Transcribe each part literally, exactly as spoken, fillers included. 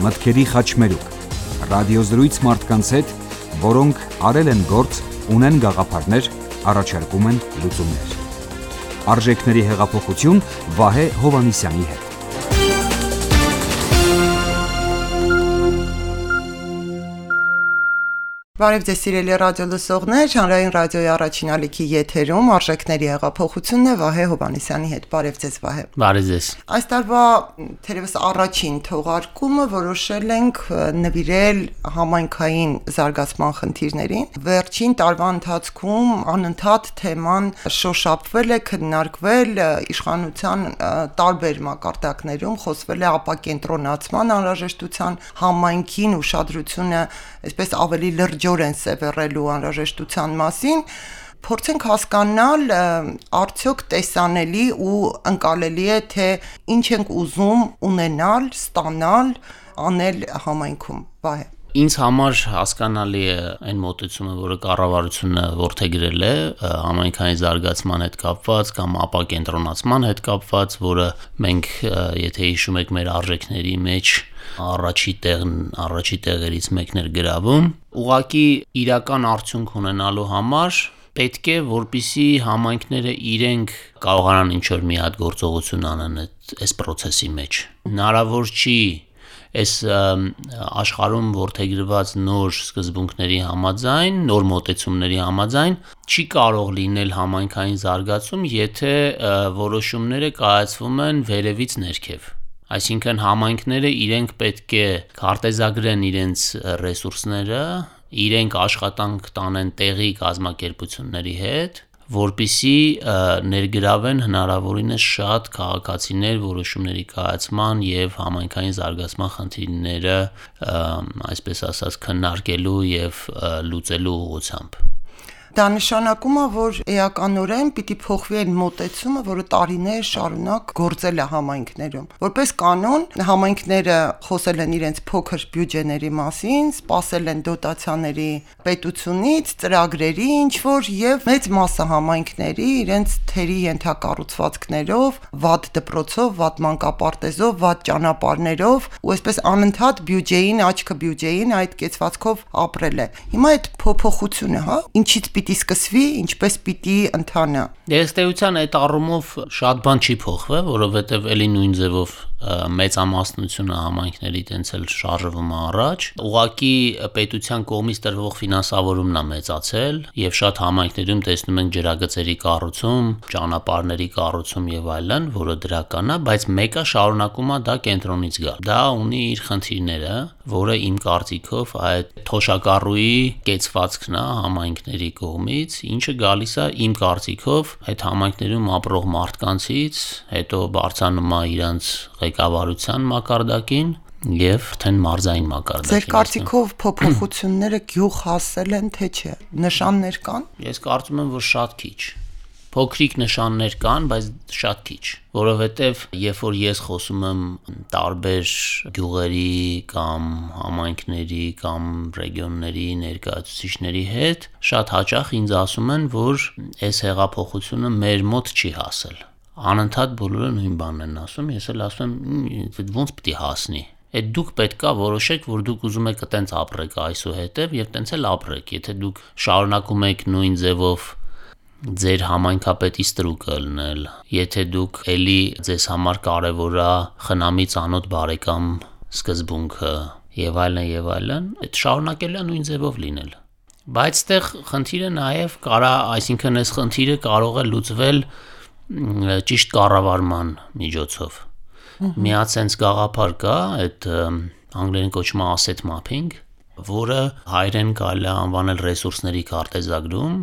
մտքերի խաչմերուկ, ռադիոզրույց մարդկանց հետ, որոնք արել են գործ, ունեն գաղափարներ, առաջարկում են լուծումներ։ Արժեքների հեղափոխություն Վահե Հովհաննիսյանի հետ։ Բարև ձեզ սիրելի ռադիո լսողներ, հանրային ռադիոյի առաջին ալիքի եթերում Արժեքների հեղափոխությունն է Վահե Հովհաննիսյանի հետ։ Բարև ձեզ Վահե։ Բարև ձեզ։ Այս տարվա թերևս առաջին թողարկումը որոշել ենք նվիրել համայնքային զարգացման խնդիրներին։ Վերջին տարվա ընթացքում անընդհատ թեման շոշափվել է, քննարկվել իշխանության տարբեր մակարդակներում, խոսվել է ապակենտրոնացման անհրաժեշտության, համայնքին ուշադրությունը այսպես ավելի լրջորեն սևեռելու անհրաժեշտության մասին, փորձենք հասկանալ արդյոք տեսանելի ու ընկալելի է, թե ինչ ենք ուզում ունենալ, ստանալ, անել համայնքում։ Վահե։ Ինձ համար հասկանալի է այն մոտեցումը, որը կառավարությունը որդեգրել է համայնքային զարգացման հետ կապված կամ ապակենտրոնացման հետ կապված, որը մենք, եթե հիշում եք, մեր արժեքների մեջ առաջի տեղն առաջի տեղերից մեկն էր գրավում։ Ուղղակի իրական արդյունք ունենալու համար պետք է, որպեսզի համայնքները իրենք կարողանան ինչ-որ մի հատ գործողություն անեն այս process-ի մեջ։ Հնարավոր չի այս աշխարհում որդեգրված նոր սկզբունքների համաձայն, նոր մոտեցումների համաձայն չի կարող լինել համայնքային զարգացում, եթե որոշումները կայացվում են վերևից ներքև։ Այսինքն համայնքները իրենք պետք է քարտեզագրեն իրենց ռեսուրսները, իրենք աշխատանք տանեն տեղի կազմակերպությունների հետ, որպեսզի ներգրավեն հնարավորինս շատ քաղաքացիներ որոշումների կայացման եւ համայնքային զարգացման խնդիրները, այսպես ասած, քննարկելու եւ լուծելու ուղղությամբ։ Դա նշանակում է, որ էականորեն պիտի փոխվի այն մոտեցումը, որը տարիներ շարունակ գործել է համայնքներում։ Որպես կանոն, համայնքները խոսել են իրենց փոքր բյուջեների մասին, սպասել են դոտացիաների պետությունից, ծրագրերի ինչ-որ եւ մեծ մասը համայնքների իրենց թերի ենթակառուցվածքներով, վատ դպրոցով, վատ մանկապարտեզով, վատ ճանապարհներով ու այսպես անընդհատ բյուջեին, աչքը բյուջեին այդ կեցվածքով ապրել է։ Հիմա այդ փոփոխությունը, հա, ինչից պիտի սկսվի, ինչպես պիտի ընթանա։ Ըստ այդ առումով շատ բան չի փոխվել, որովհետև էլի նույն ձևով մեծամասնությունը համայնքների տենց էլ շարժվում է առաջ։ Ուղղակի պետության կողմից տրվող ֆինանսավորումն է մեծացել եւ շատ համայնքներում տեսնում ենք ջրագծերի կառուցում, ճանապարհների կառուցում եւ այլն, որը դրական է, բայց մեկը շարունակում է դա կենտրոնից գալ։ Դա ունի իր խնդիրները, որը իմ կարծիքով այդ թոշակառուի կեցվածքն է համայնքների կողմից, ինչը գալիս է իմ կարծիքով այդ համայնքներում ապրող մարդկանցից, հետո բարձրանում է իրանց ղեկավարության մակարդակին եւ թեն մարզային մակարդակին։ Ձեր կարծիքով փոփոխությունները գյուղ հասել են, թե չէ։ Նշաններ կան։ Ես կարծում եմ, որ շատ քիչ։ Փոքրիկ նշաններ կան, բայց շատ քիչ, որովհետև երբ որ ես խոսում եմ տարբեր գյուղերի կամ համայնքների կամ ռեգիոնների ներկայացուցիչների հետ, շատ հաճախ ինձ ասում են, որ այս հեղափոխությունը մեր մոտ չի հասել։ Անընդհատ բոլորը նույն բանն են ասում, ես էլ ասում եմ, ոնց պիտի հասնի։ Այդ դուք պետքա որոշեք, որ դուք ուզում եք այտենց ապրեք այսուհետև եւ այտենց էլ ապրեք։ Եթե դուք շարունակում եք նույն ձևով ձեր համայնքապետի ստրուկը լնել, եթե դուք էլի ձեզ համար կարևոր է խնամի ծանոթ բարեկամ սկզբունքը եւ այլն եւ այլն, այդ շարունակել է նույն ձևով լինել։ Բայց այդտեղ խնդիրը նաեւ կարա, այսինքն այս խնդիրը կարող է լուծվել ճիշտ կառավարման միջոցով։ Մի հատ sense գաղափար կա, այդ անգլերեն կոչվում է asset mapping, որը հայերեն կարելի է անվանել ռեսուրսների քարտեզագրում։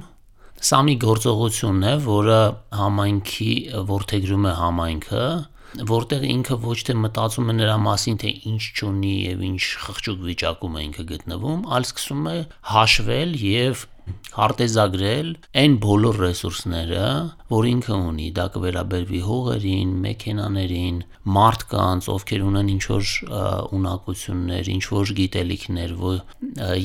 Սա մի գործողություն է, որը համայնքի որդեգրում է համայնքը, որտեղ ինքը ոչ թե մտածում է նրա մասին, թե ինչ չունի եւ ինչ խղճուկ վիճակում է ինքը գտնվում, այլ սկսում է հաշվել եւ քարտեզագրել այն բոլոր ռեսուրսները, որ ինքը ունի, դա կվերաբերվի հողերին, մեքենաներին, մարդկանց, ովքեր ունեն ինչ-որ ունակություններ, ինչ-որ գիտելիքներ,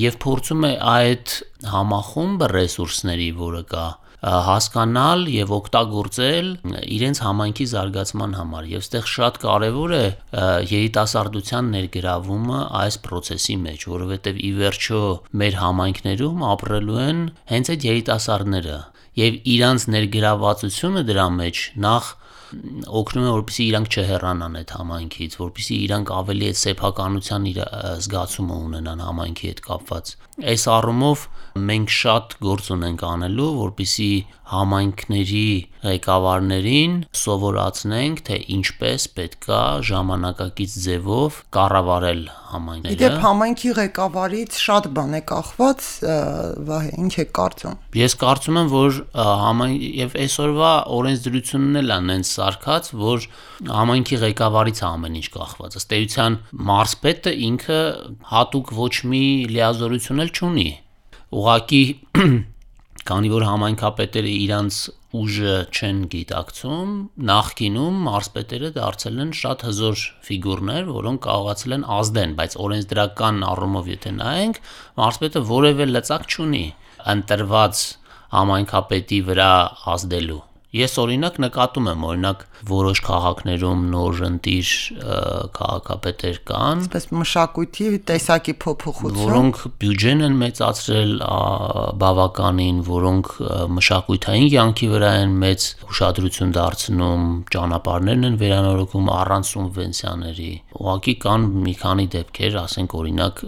եւ փորձում է այդ համախումբը ռեսուրսների, որը կա հասկանալ եւ օգտագործել իրենց համայնքի զարգացման համար եւ այստեղ շատ կարեւոր է երիտասարդության ներգրավումը այս process-ի մեջ, որովհետեւ ի վերջո մեր համայնքներում ապրելու են հենց այդ երիտասարդները եւ իրանց ներգրավվածությունը դրա մեջ նախ օգնում է, որպեսզի իրանք չհեռանան այդ համայնքից, որպեսզի իրանք ավելի այդ սեփականության իր զգացումը ունենան համայնքի հետ կապված։ Այս առումով մենք շատ գործ ունենք անելու, որպեսզի համայնքների ղեկավարներին սովորացնենք, թե ինչպես պետքա ժամանակակից ձևով կառավարել համայնքները։ Իդեպ համայնքի ղեկավարից շատ բան է կախված, Վահե, ինչ է կարծում։ Ես կարծում եմ, որ համայն եւ այսօրվա օրենսդրությունն էլ անենց սարքած, որ համայնքի ղեկավարից է ամեն ինչ կախված։ Ըստ էության մարզպետը ինքը հատուկ ոչ մի լիազորություն էլ չունի։ Ուղղակի քանի որ համայնքապետերը իրանց ուժը չեն գիտակցում, նախկինում մարզպետերը դարձել են շատ հզոր ֆիգուրներ, որոնք կարողացել են ազդեն, բայց օրենսդրական առումով եթե նայենք, մարզպետը որևէ լծակ չունի ընտրված համայնքապետի վրա ազդելու։ Ես օրինակ նկատում եմ, օրինակ որոշ քաղաքներում նոր ընտիր քաղաքապետեր կան, այսպես մշակույթի տեսակի փոփոխություն, որոնք բյուջեն են մեծացրել բավականին, որոնք մշակութային կյանքի վրա են մեծ ուշադրություն դարձնում, ճանապարհներն են վերանորոգում առանց սուբվենցիաների։ Ուղղակի կան մի քանի դեպքեր, ասենք օրինակ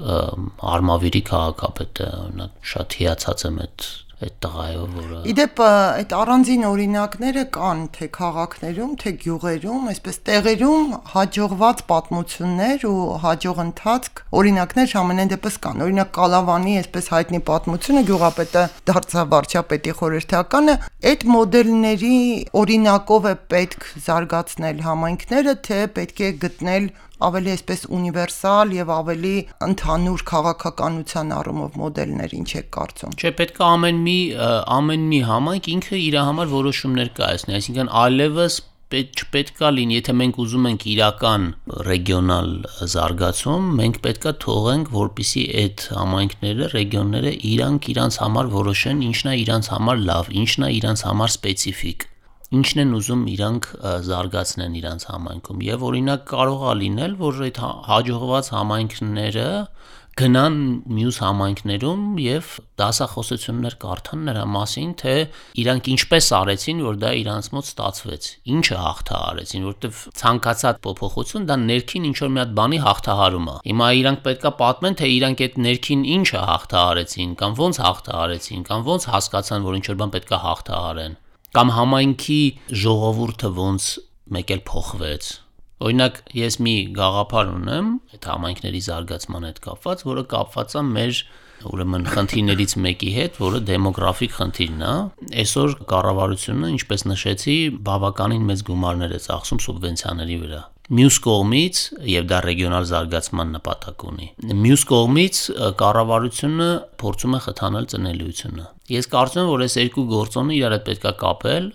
Արմավիրի քաղաքապետը, օրինակ շատ հիացած եմ այդ այդ տղայով, որը Իդեպ այդ առանձին օրինակները կան թե քաղաքներում, թե գյուղերում, այսպես տեղերում հաջողված պատմություններ ու հաջող ընթացք օրինակներ ամենայն դեպս կան։ Օրինակ Կալավանի այսպես հայտնի պատմությունը գյուղապետը դարձավ վարչապետի խորհրդականը, այդ մոդելների օրինակով է պետք զարգացնել համայնքները, թե պետք է գտնել ավելի այսպես ունիվերսալ եւ ավելի ընդհանուր քաղաքականության առումով մոդելներ, ինչ է կարծում։ Չէ, պետք է ամեն մի ամեն մի համայնք ինքը իր համար որոշումներ կայացնի, այսինքն այլևս չպետք է լինի, եթե մենք ուզում ենք իրական ռեգիոնալ զարգացում, մենք պետք է թողենք, որպեսզի այդ համայնքները, ռեգիոնները իրանք իրանց համար որոշեն, ինչն է իրանց համար լավ, ինչն է իրանց համար սպეციფիկ։ Ինչն են ուզում իրանք զարգացնեն իրանց համայնքում եւ օրինակ կարող է լինել, որ այդ հաջողված համայնքները գնան մյուս համայնքներում եւ դասախոսություններ կարդան նրա մասին, թե իրանք ինչպես արեցին, որ դա իրանց մոտ ստացվեց, ինչը հաղթահարեցին, որովհետեւ ցանկացած փոփոխություն դա ներքին ինչ որ մի հատ բանի հաղթահարում է։ Հիմա իրանք պետքա պատմեն, թե իրանք այդ ներքին ինչը հաղթահարեցին, կամ ոնց հաղթահարեցին, կամ ոնց հասկացան, որ ինչ որ բան պետքա հաղթահարեն, կամ համայնքի ժողովուրդը ոնց մեկ էլ փոխվեց։ Օրինակ ես մի գաղափար ունեմ այդ համայնքների զարգացման հետ կապված, որը կապված է մեր ուրեմն խնդիրներից մեկի հետ, որը դեմոգրաֆիկ խնդիրն է։ Այսօր կառավարությունը, ինչպես նշեցի, բավականին մեծ գումարներ է ծախսում սուբվենցիաների վրա։ Մյուս կողմից, եւ դա ռեգիոնալ զարգացման նպատակ ունի, մյուս կողմից կառավարությունը փորձում է խթանել ծնելիությունը։ Ես կարծում եմ, որ այս երկու գործոնը իրար հետ պետք է կապել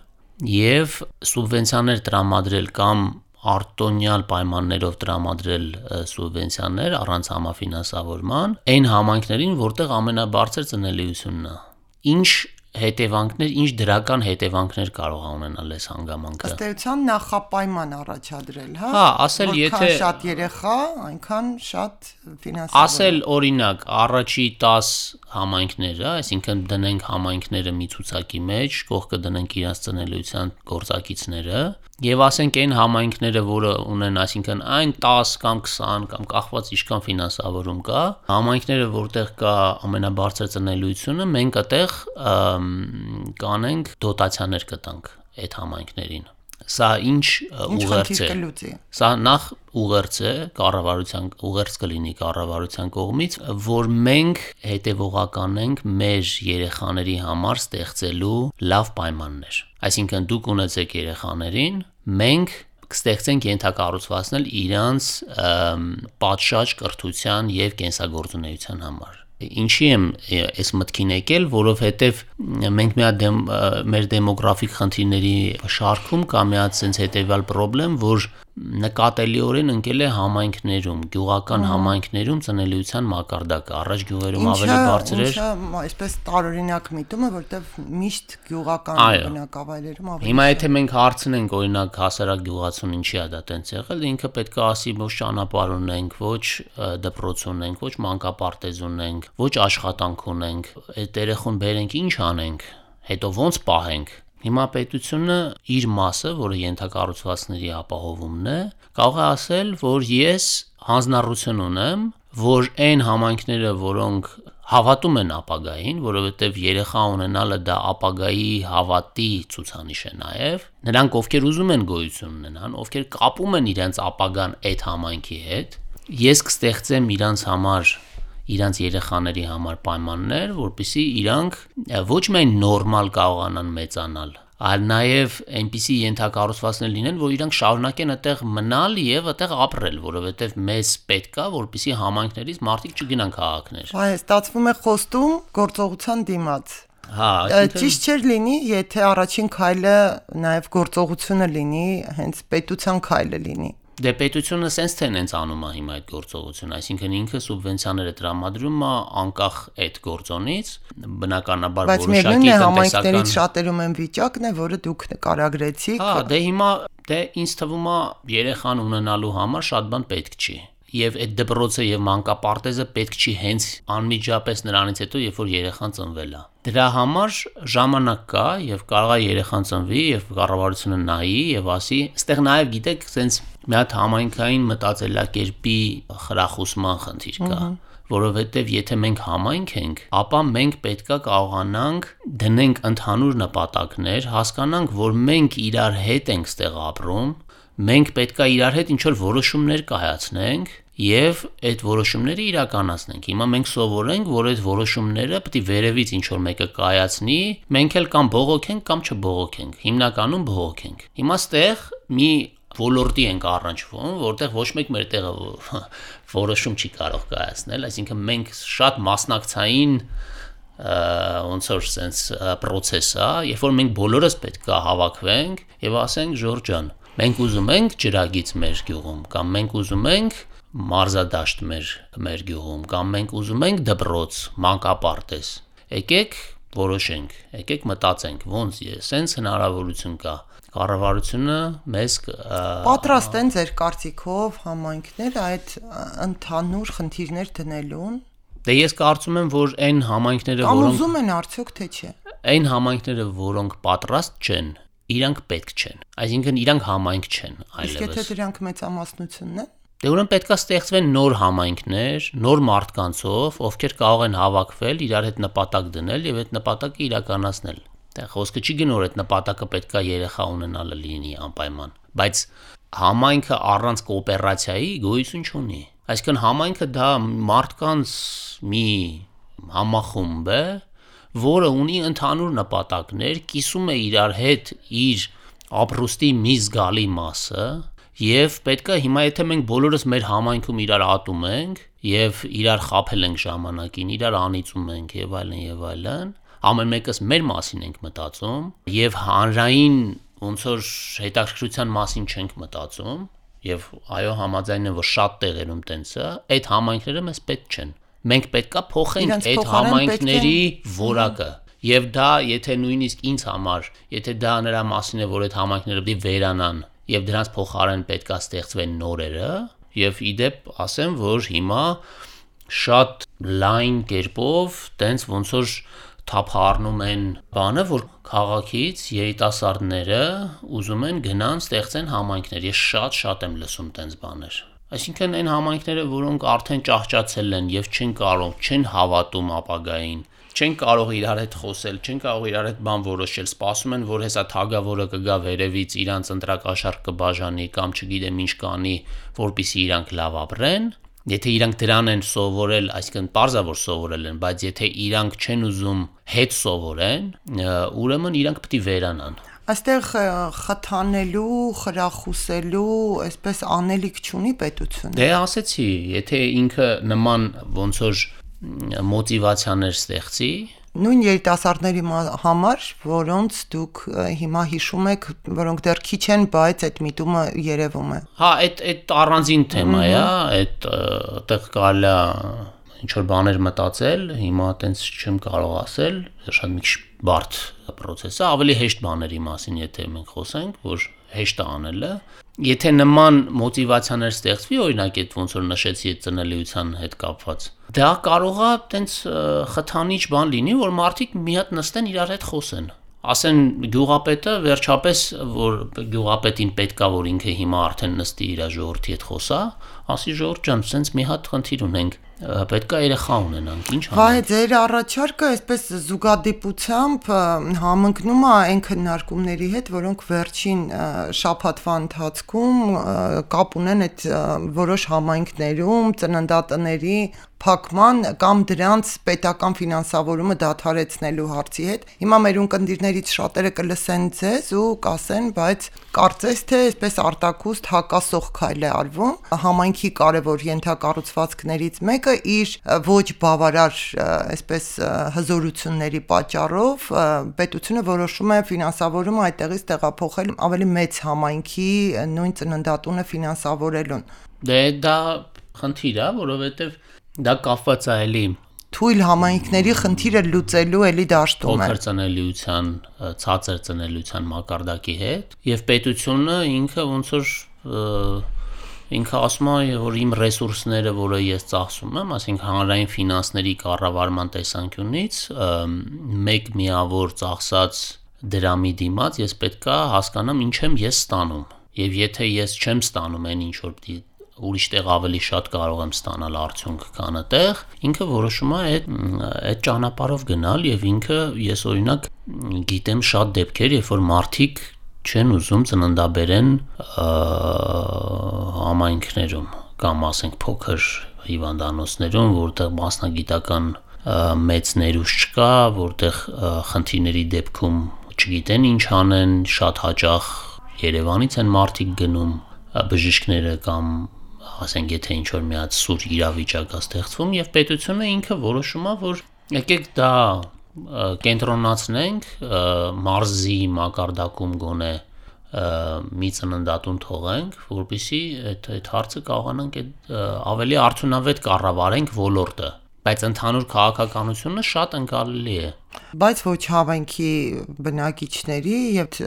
եւ սուբվենցիաներ տրամադրել կամ արտոնյալ պայմաններով տրամադրել սուբվենցիաներ առանց համաֆինանսավորման այն համայնքներին, որտեղ ամենաբարձր ծնելիությունն է։ Ինչ հետևանքներ, ինչ դրական հետևանքներ կարող է ունենալ այս հանգամանքը։ Ըստ էության նախապայման առաջադրել, հա։ Հա, ասել եթե որքան շատ երեխա, այնքան շատ ֆինանսավոր։ Ասել օրինակ առաջի տաս համայնքները, այսինքն դնենք համայնքները մի ցուցակի մեջ, կողքը դնենք իրենց ծնելիության գործակիցները, եւ ասենք այն համայնքները, որը ունեն, այսինքն այն տաս կամ քսան կամ կախված ինչքան ֆինանսավորում կա, համայնքները, որտեղ կա ամենաբարձր ծնելիությունը, մենք այդտեղ կանենք դոտացիաներ կտանք այդ համայնքներին։ Սա ինչ ուղերձ է։ Սա նախ ուղերձ է կառավարության, ուղերձ կլինի կառավարության կողմից, որ մենք հետևողական ենք մեր երեխաների համար ստեղծելու լավ պայմաններ։ Այսինքն դուք ունեցեք երեխաներին, մենք կստեղծենք ենթակառուցվածքներ իրանց պատշաճ կրթության եւ կենսագործունեության համար։ Ինչի եմ այս մտքին եկել, որովհետև մենք մի հատ մեր դեմոգրաֆիկ խնդիրների շարքում կա մի հատ sense հետեւյալ խնդրեմ, որ նկատելիորեն ընկել է համայնքներում, գյուղական համայնքներում ծնելիության մակարդակը, առաջ գյուղերում ավելի բարձր էր։ Ինչը այսպես տարօրինակ միտում է, որտեվ միշտ գյուղական բնակավայրերում ավելի։ Հիմա եթե մենք հարցնենք, օրինակ հասարակ գյուղացուն ինչի է դա տենց եղել, ինքը պետք է ասի ոչ ճանապարհ ունենք, ոչ դպրոց ունենք, ոչ մանկապարտեզ ունենք, ոչ աշխատանք ունենք, այդ երեխուն բերենք ինչ անենք, հետո ոնց պահենք։ Հիմա պետությունը իր մասը, որը ենթակառուցվածքների ապահովումն է, կարող է ասել, որ ես հանձնառություն ունեմ, որ այն համայնքները, որոնք հավատում են ապագային, որովհետև երեխա ունենալը դա ապագայի հավատի ցուցանիշ է նաև, նրանք ովքեր ուզում են գոյություն ունենան, ովքեր կապում են իրենց ապագան այդ համայնքի հետ, ես կստեղծեմ իրանց համար իրանց երեխաների համար պայմաններ, որպեսզի իրանք ոչ միայն նորմալ կարողանան մեծանալ, այլ նաև այնպիսի ենթակառուցվածքներ լինեն, որ իրանք շարունակեն այդտեղ մնալ եւ այդտեղ ապրել, որովհետեւ մեզ պետք է, որպեսզի համայնքներից մարդիկ չգնան քաղաքներ։ Այո, ստացվում է խոստում գործողության դիմաց։ Հա, ճիշտ չէր լինի, եթե առաջին քայլը նաև գործողությունը լինի, հենց պետության քայլը լինի։ Դե պետությունը sense թե նենց անում է հիմա այդ գործողությունը, այսինքն ինքը սուբվենցիաները տրամադրում է անկախ այդ գործոնից, բնականաբար որոշակի համայնքներից շատերում են վիճակն է, որը դուք նկարագրեցիք։ Հա, դե հիմա դե ինձ թվում է երեխան ունենալու համար շատ բան պետք չի։ Եվ այդ դպրոցը եւ մանկապարտեզը պետք չի հենց անմիջապես նրանից հետո, երբ որ երեխան ծնվել է։ Դրա համար ժամանակ կա եւ կարող է երեխան ծնվի եւ կառավարությունը նայի եւ ասի, այստեղ նաեւ գիտեք, sense մի հատ համայնքային մտածելակերպի խրախուսման խնդիր կա, որովհետեւ եթե մենք համայնք ենք, ապա մենք պետքա կարողանանք դնենք ընդհանուր նպատակներ, հասկանանք, որ մենք իրար հետ ենք ստեղ ապրում, մենք պետքա իրար հետ ինչ-որ որոշումներ կայացնենք եւ այդ որոշումները իրականացնենք։ Հիմա մենք սովորենք, որ այդ որոշումները պետք է վերևից ինչ-որ մեկը կայացնի, մենք էլ կամ բողոքենք կամ չբողոքենք։ Հիմնականում բողոքենք։ Հիմա ստեղ մի ոլորտի ենք առնչվում, որտեղ ոչ մեկ մեր տեղը որոշում չի կարող կայացնել, այսինքն մենք շատ մասնակցային ոնց որ sense process է, երբ որ մենք բոլորս պետք է հավաքվենք եւ ասենք Ժորժ ջան, մենք ուզում ենք ջրագիծ մեր գյուղում, կամ մենք ուզում ենք մարզադաշտ մեր մեր գյուղում, կամ մենք ուզում ենք դպրոց, մանկապարտեզ։ Եկեք որոշենք, եկեք մտածենք, ոնց է, sense հնարավորություն կա։ Կառավարությունը մեզ պատրաստ են ձեր կարծիքով համայնքները այդ ընդհանուր խնդիրներ դնելուն։ Դե ես կարծում եմ, որ այն համայնքները, որոնք ուզում են արդյոք թե չէ։ Այն համայնքները, որոնք պատրաստ չեն, իրանք պետք չեն։ Այսինքն իրանք համայնք չեն այլևս։ Իսկ եթե դրանք մեծամասնությունն են։ Դե ուրեմն պետքա ստեղծվեն նոր համայնքներ, նոր մարդկանցով, ովքեր կարող են հավաքվել, իրար հետ նպատակ դնել եւ այդ նպատակը իրականացնել։ Դե խոսքը չի գնոր այդ նպատակը պետքա երեխա ունենալը լինի անպայման, բայց համայնքը առանց կոոպերացիայի գոյություն չունի։ Այսինքն համայնքը դա մարդկանց մի համախումբ է, որը ունի ընդհանուր նպատակներ, կիսում է իրար հետ իր ապրուստի մի զգալի մասը, եւ պետքա հիմա եթե մենք բոլորս մեր համայնքում իրար ատում ենք եւ իրար խաբել ենք ժամանակին, իրար անիծում ենք եւ այլն եւ այլն, ամեն մեկս մեր մասին ենք մտածում եւ հանրային ոնց որ հետաքրքրության մասին չենք մտածում եւ այո համաձայն եմ որ շատ տեղերում տենց է, այդ համայնքները մեզ պետք չեն։ Մենք պետքա փոխենք այդ համայնքների որակը։ Եվ դա եթե նույնիսկ ինձ համար, եթե դա նրա մասին է, որ այդ համայնքները պետք է վերանան եւ դրանց փոխարեն պետքա ստեղծվեն նորերը, եւ իդեպ ասեմ, որ հիմա շատ լայն կերպով տենց ոնց որ թափառնում են բանը, որ քաղաքից երիտասարդները ուզում են գնան ստեղծեն համայնքներ։ Ես շատ-շատ եմ լսում տենց բաներ։ Այսինքն այն համայնքները, որոնք արդեն ճահճացել են եւ չեն կարող, չեն հավատում ապագային, չեն կարող իրար հետ խոսել, չեն կարող իրար հետ բան որոշել, սպասում են, որ հեսա թագավորը կգա վերևից, իրանց ընտրակաշարք կբաժանի կամ չգիտեմ ինչ կանի, որպեսզի իրանք լավ ապրեն։ Եթե իրանք դրան են սովորել, այսինքն պարզա որ սովորել են, բայց եթե իրանք չեն ուզում հետ սովորեն, ուրեմն իրանք պետք է վերանան։ Այստեղ խթանելու, խրախուսելու, այսպես անելիք չունի պետությունը։ Դե ասեցի, եթե ինքը նման ոնց որ մոտիվացիաներ ստեղծի, նույն երիտասարդների համար, որոնց դուք հիմա հիշում եք, որոնք դեռ քիչ են, բայց այդ միտումը երևում է։ Հա, այդ այդ առանձին թեմա է, այդ այդտեղ կարելի է ինչ որ բաներ մտածել, հիմա այտենց չեմ կարող ասել, շատ մի քիչ բարդ process է, ավելի հեշտ բաների մասին, եթե մենք խոսենք, որ հեշտ է անելը։ Եթե նման մոտիվացիաներ ստեղծվի, օրինակ այդ ոնց որ նշեցի այդ ծնելիության հետ կապված, դա կարող է այտենց խթանիչ բան լինի, որ մարդիկ մի հատ նստեն իրար հետ խոսեն։ Ասեն գյուղապետը վերջապես, որ գյուղապետին պետք է որ ինքը հիմա արդեն նստի իր ժողովրդի հետ խոսա, ասի ժողովուրդ ջան, սենց մի հատ խնդիր ունենք, պետք է երեխա ունենանք, ինչ անենք։ Վայ, ձեր առաջարկը այսպես զուգադիպությամբ համընկնում է այն քննարկումների հետ, որոնք վերջին շաբաթվա ընթացքում կապ ունեն այդ որոշ համայնքներում ծննդատների փակման կամ դրանց պետական ֆինանսավորումը դադարեցնելու հարցի հետ։ Հիմա մեր ունկնդիրներից շատերը կլսեն ձեզ ու կասեն, բայց կարծես թե այսպես արտակուստ հակասող քայլ է արվում։ Համայնքի կարևոր ենթակառուցվածքներից մեկը իր ոչ բավարար այսպես հզորությունների պատճառով պետությունը որոշում է ֆինանսավորումը այդտեղից տեղափոխել ավելի մեծ համայնքի նույն ծննդատունը ֆինանսավորելուն։ Դե դա խնդիր է, որովհետև դա կապված է էլի թույլ համայնքների խնդիրը լուծելու էլի դաշտում է։ Փոքր ծնելիության, ցածր ծնելիության մակարդակի հետ, եւ պետությունը ինքը ոնց որ ինքը ասում է, որ իմ ռեսուրսները, որը ես ծախսում եմ, ասենք հանրային ֆինանսների կառավարման տեսանկյունից, մեկ միավոր ծախսած դրամի դիմաց ես պետք է հասկանամ ինչ եմ ես ստանում։ Եվ եթե ես չեմ ստանում այն ինչ որ ուրիշ տեղ ավելի շատ կարող եմ ստանալ արդյունք քան այդտեղ, ինքը որոշում է այդ այդ ճանապարհով գնալ եւ ինքը ես օրինակ գիտեմ շատ դեպքեր, երբ որ մարդիկ չեն ուզում ծննդաբերեն համայնքներում կամ ասենք փոքր հիվանդանոցներում, որտեղ մասնագիտական մեծ ներուժ չկա, որտեղ խնդիրների դեպքում չգիտեն ինչ անեն, շատ հաճախ Երևանից են մարդիկ գնում բժիշկները կամ ասենք եթե ինչ որ մի հատ սուր իրավիճակ է ստեղծվում եւ պետությունը ինքը որոշում է որ եկեք դա կենտրոնացնենք մարզի մակարդակում գոնե մի ծննդատուն թողենք, որպեսզի այդ այդ հարցը կարողանանք ավելի արդյունավետ կառավարենք ոլորտը, բայց ընդհանուր քաղաքականությունը շատ ընկալելի է։ Բայց ոչ հավանքի բնակիչների եւ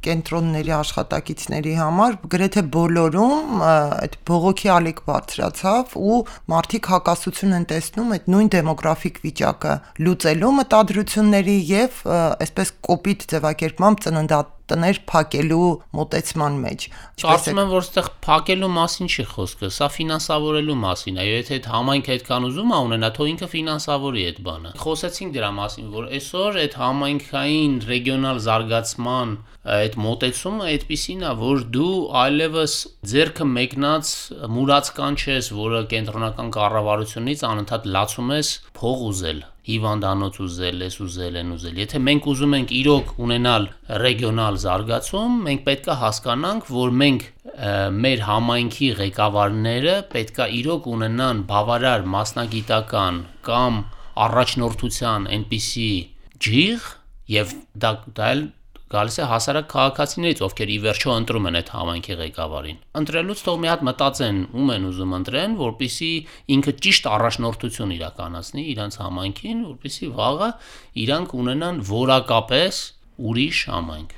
կենտրոնների աշխատակիցների համար գրեթե բոլորում այդ բողոքի ալիք բարձրացավ ու մարդիկ հակասություն են տեսնում այդ նույն դեմոգրաֆիկ վիճակը լուծելու մտադրությունների եւ այսպես կոպիտ ձևակերպմամբ ծննդատներ փակելու մոտեցման մեջ։ Կարծում եմ, որ այդտեղ փակելու մասին չի խոսքը, սա ֆինանսավորելու մասին է։ Եթե այդ համայնքը այդքան ուզում է ունենա, թող ինքը ֆինանսավորի այդ բանը։ Խոսեցինք դրա մասին, որ այսօր այդ համայնքային ռեգիոնալ զարգացման այդ մոտեցումը այդպիսին է, որ դու այլևս ձերքը մեկնած մուրացկան չես, որը կենտրոնական կառավարությունից անընդհատ լացում ես փող ուզել, հիվանդանոց ուզել, ես ուզել են ուզել։ Եթե մենք ուզում ենք իրոք ունենալ ռեգիոնալ զարգացում, մենք պետք է հասկանանք, որ մենք մեր համայնքի ղեկավարները պետք է իրոք ունենան բավարար մասնագիտական կամ առաջնորդության այնպիսի ջիղ եւ դա դա էլ գալիս է հասարակ քաղաքացիներից, ովքեր ի վերջո ընտրում են այդ համայնքի ղեկավարին։ Ընտրելուց թող մի հատ մտածեն ում են ուզում ընտրեն, որպեսզի ինքը ճիշտ առաջնորդություն իրականացնի իրանց համայնքին, որպեսզի վաղը իրանք ունենան որակապես ուրիշ համայնք։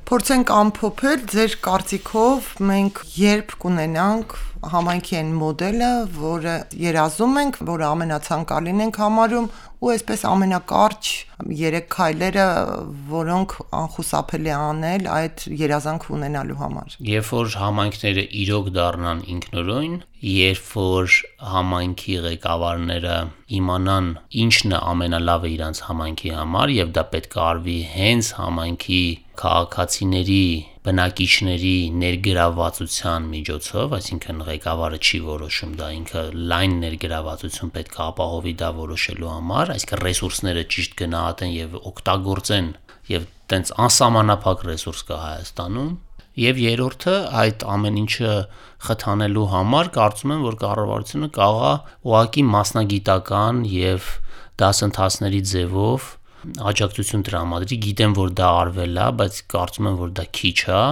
Փորձենք ամփոփել ձեր կարծիքով մենք երբ կունենանք համայնքի այն մոդելը, որը երազում ենք, որը ամենացանկալին ենք համարում ու այսպես ամենակարճ երեք քայլերը, որոնք անխուսափելի անել այդ երազանքը ունենալու համար։ Երբ որ համայնքները իրոք դառնան ինքնուրույն, երբ որ համայնքի ղեկավարները իմանան ինչն է ամենալավը իրանց համայնքի համար եւ դա պետք է արվի հենց համայնքի քաղաքացիների, բնակիչների ներգրավվածության միջոցով, այսինքն ղեկավարը չի որոշում դա, ինքը լայն ներգրավվածություն պետք է ապահովի դա որոշելու համար, այսինքն ռեսուրսները ճիշտ գնահատեն եւ օգտագործեն եւ տենց անսահմանափակ ռեսուրս կա Հայաստանում։ Եվ երրորդը այդ ամեն ինչը խթանելու համար կարծում եմ, որ կառավարությունը կարող է ուղղակի մասնագիտական եւ դասընթացների ձևով աջակցություն տրամադրի, գիտեմ, որ դա արվել է, բայց կարծում եմ, որ դա քիչ է,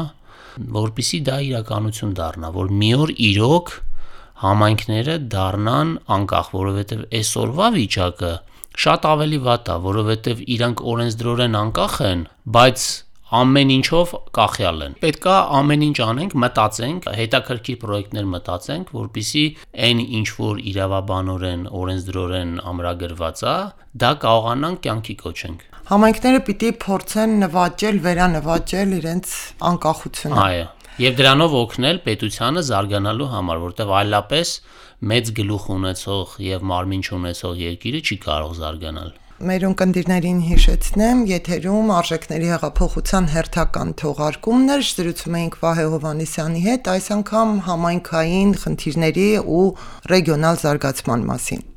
որպեսզի դա իրականություն դառնա, որ մի օր իրոք համայնքները դառնան անկախ, որովհետև այսօրվա վիճակը շատ ավելի վատ է, որովհետև իրանք օրենսդրորեն անկախ են, բայց ամեն ինչով կախյալ են։ Պետք է ամեն ինչ անենք, մտածենք, հետաքրքիր պրոյեկտներ մտածենք, որպեսզի այն ինչ որ իրավաբանորեն, օրենսդրորեն ամրագրված է, դա կարողանանք կյանքի կոչենք։ Համայնքները պիտի փորձեն նվաճել, վերանվաճել իրենց անկախությունը։ Այո, եւ դրանով օգնել պետությանը զարգանալու համար, որտեղ այլապես մեծ գլուխ ունեցող եւ մարմին չունեցող երկիրը չի կարող զարգանալ։ Մեր ունկնդիրներին հիշեցնեմ, եթերում Արժեքների հեղափոխության հերթական թողարկումներ, զրուցում էինք Վահե Հովհաննիսյանի հետ, այս անգամ համայնքային խնդիրների ու ռեգիոնալ զարգացման մասին։